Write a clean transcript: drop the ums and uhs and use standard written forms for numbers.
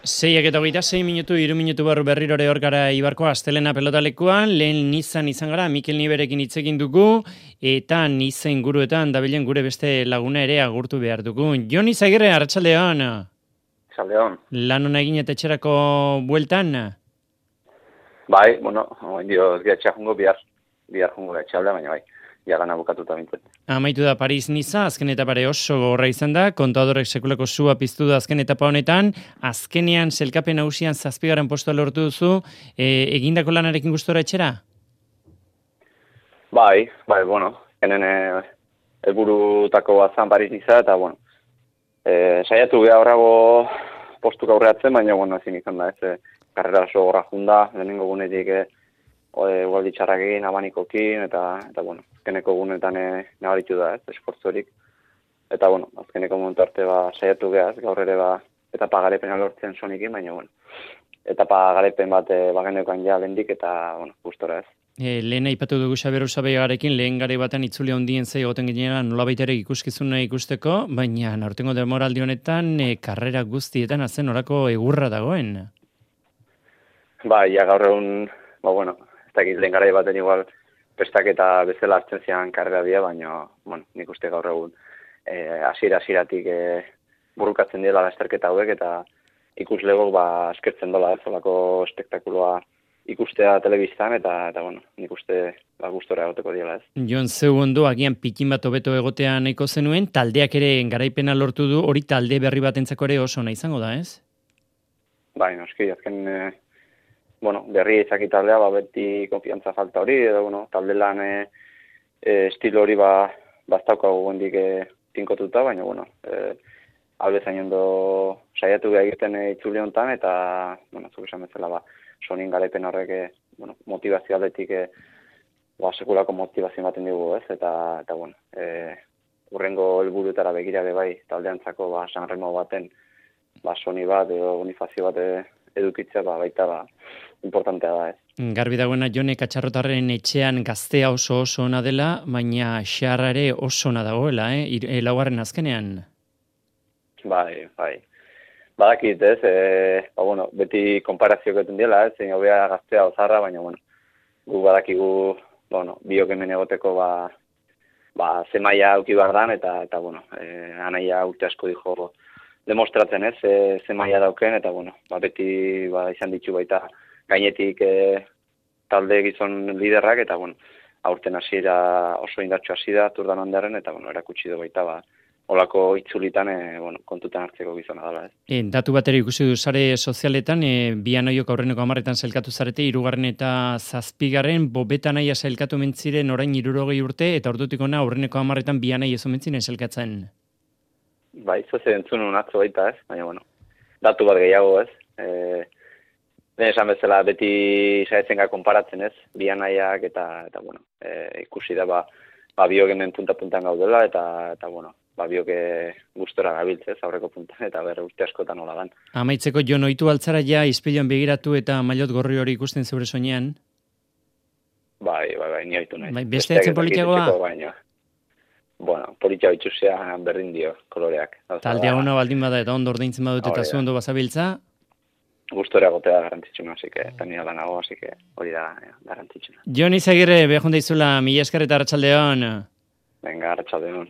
Seiak eta 26 minutu, 3 minutu barru berrirore hor gara Ibarko astelena pelotalekuan, lehen Nizan izan gara, Mikel Niberekin hitz egin dugu, eta Niza inguruetan dabilen gure beste laguna ere agurtu behar dugu. Jon Izagirre, arratsaldeon. Arratsaldeon. Lan hona egin eta etxerako bueltan? Bai, bueno, dio ez gira jungo bihar jungo etxalda, baina bai, jagana bukatuta bintzen. Amaitu da Paris-Niza, azken etapare oso gogorra izan da, kontadorek sekulako sua piztu da azken etapa honetan, azkenean selkapen hausian 7. postua lortu duzu, egindako lanarekin gustora etxera? Bai, bueno, henen helburutako bat zan Paris-Niza, eta bueno, saiatu geha horrago postuk aurreatzen, baina bueno, ezin izan da, karrera oso gorra junda, lehenengo gunetik ugaldi txarrak egin, abanikokin, eta bueno, azkeneko gunetan nabaritu da, esfortzorik. Eta bueno, azkeneko momentu arte saiatu geha, gaur ere etapa garepena lortzen sonikin, baina bueno, etapa garepen bat bagenekoan ja lendik, eta bueno, gustora ez. Lehen aipatu dugu Xabier Usabeigarekin, lehen gare batean itzuli handien zei egoten ginean nolabait ere ikuskizuna ikusteko, baina aurtengo demoraldi honetan karrera guztietan azen orako egurra dagoen. Bai, ja gaur egun, bueno, ez dakit lehen garai baten igual prestaketa bezala hartzen zian karrera dira, baina, bueno, nik uste gaur egun hasieratik burrukatzen dira lasterketa hauek, eta ikuslegok eskertzen dola olako espektakuloa ikustea telebistan, eta bueno, nik uste gustora egoteko diela ez. Jon, zeu ondo, agian pikin bat hobeto egotea nahiko zenuen, taldeak ere garaipena lortu du, hori talde berri batentzako ere oso nahi izango da, ez? Bai, noski, azken berri izaki taldea, beti konfiantza falta hori, edo, talde lan estilo hori baztaukagu gondik tinkotuta, baina, albezain ondo saiatu geha egiten itzuli honetan, eta, zuk esan bezala, sonin garaipen horrek, motivazio aldetik, sekulako motivazio ematen dugu, ez, eta, urrengo helburutara begira bai, taldeantzako, San Remo baten, soni bat, edo bonifazio bat edukitzea, baita, importantea da, ez. Garbi dagoena Jone Katxarrotarren etxean gaztea oso ona dela, baina xarra ere oso ona dagoela, laugarren azkenean. Bai. Badakit, ez, beti konparazio egiten dela, ez, zein hobea gaztea ozarra, baina, gu badakigu, biok hemen egoteko, ze maila auki behar dan, eta anaia urte asko dijo demostratzen, ez, ze maila dauken, eta, beti izan ditu baita gainetik talde gizon liderrak, eta, aurten hasiera oso indartxo hasi da, Tour de Flanderen, eta, erakutsi du baita, olako itzulitan, kontutan hartzeko gizona dela, ez. Datu batera ikusi du sare sozialetan, Bianoiok aurreneko 10etan sailkatu zarete, 3. eta 7. Bobeta naia sailkatu mentziren orain 60 urte, eta ordutik ona aurreneko 10etan Bianai ez omentzinen sailkatzen. Bai, zoze entzunun atzo baita, ez, baina, datu bat gehiago, ez. Lehen esan bezala beti saiatzen konparatzen, ez, Bianaiak, eta ikusi da, biok hemen punta-puntan gaudela, eta biok gustora gabiltzez aurreko puntan, eta urte askotan hola dan. Amaitzeko Jon, ohitu altzara ja izpiloan begiratu eta maillot gorri hori ikusten zeure soinean? Bai, ni ohitu nahi. Bai, beste etzen politiagoa? Politia bitxuzea berdin dio, koloreak. Taldea ona baldin bada eta ondo ordaintzen badut eta zu ondo bazabiltza? Gustora gotea garrantzitsuna, así que eta nire lanago, así que hori da garrantzitsuna. Jon Izagirre, behar jonda izula, mila esker eta arratsaldeon. Venga, arratsaldeon.